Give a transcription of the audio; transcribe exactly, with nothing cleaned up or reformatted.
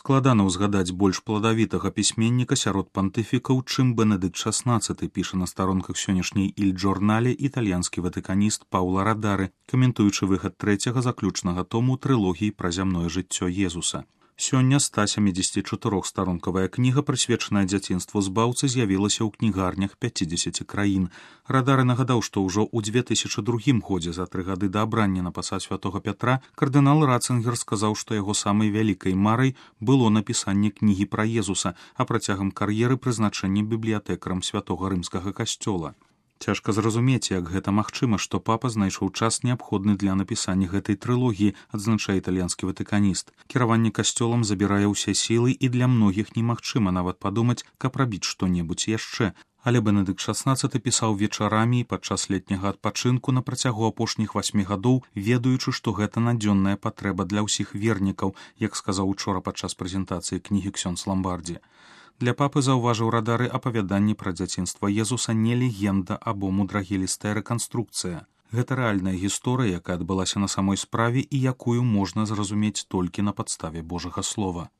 Складана ўзгадаць больш пладавітага пісьменніка сярод пантыфікаў, чым Бенедыкт шаснаццаты, піша на старонках сённяшняй Іль-Джорнале італьянскі ватыканіст Паўла Радары, каментуючы выхад трэцяга заключнага тому трылогіі пра зямное жыццё Езуса. Сёння ста сямідзесяцічатырохстаронкавая кніга, прысвечаная дзяцінству збаўцы, з'явілася ў кнігарнях пяцідзесяці краін. Радары нагадаў, што ўжо ў дзве тысячы другім годзе, за тры гады да абрання на пасад святога Пятра, кардынал Ратцынгер сказаў, што яго самай вялікай марай было напісанне кнігі пра Езуса, а працягам кар'еры прызначэнне бібліятэкарам святога рымскага касцёла. Цяжка зразумець, як гэта магчыма, што папа знайшоў час неабходны для напісання гэтай трылогіі, адзначае італьянскі ватыканіст. Кіраванне касцёлам забірае ўсе сілы, і для многіх немагчыма нават падумаць, каб рабіць што-небудзь яшчэ. Але Бенедыкт шаснаццаты пісаў вечарамі і падчас летняга адпачынку на працягу апошніх васьмі гадоў, ведаючы, што гэта надзённая патрэба для ўсіх вернікаў, як сказаў учора падчас прэзентацыі кнігі ксёндз Ламбардзі. Для папы, заўважыў Радары, апавяданні пра дзяцінства Езуса не легенда або мудрагелістая рэканструкцыя. Гэта рэальная гісторыя, якая адбылася на самой справе і якую можна зразумець толькі на падставе Божага слова.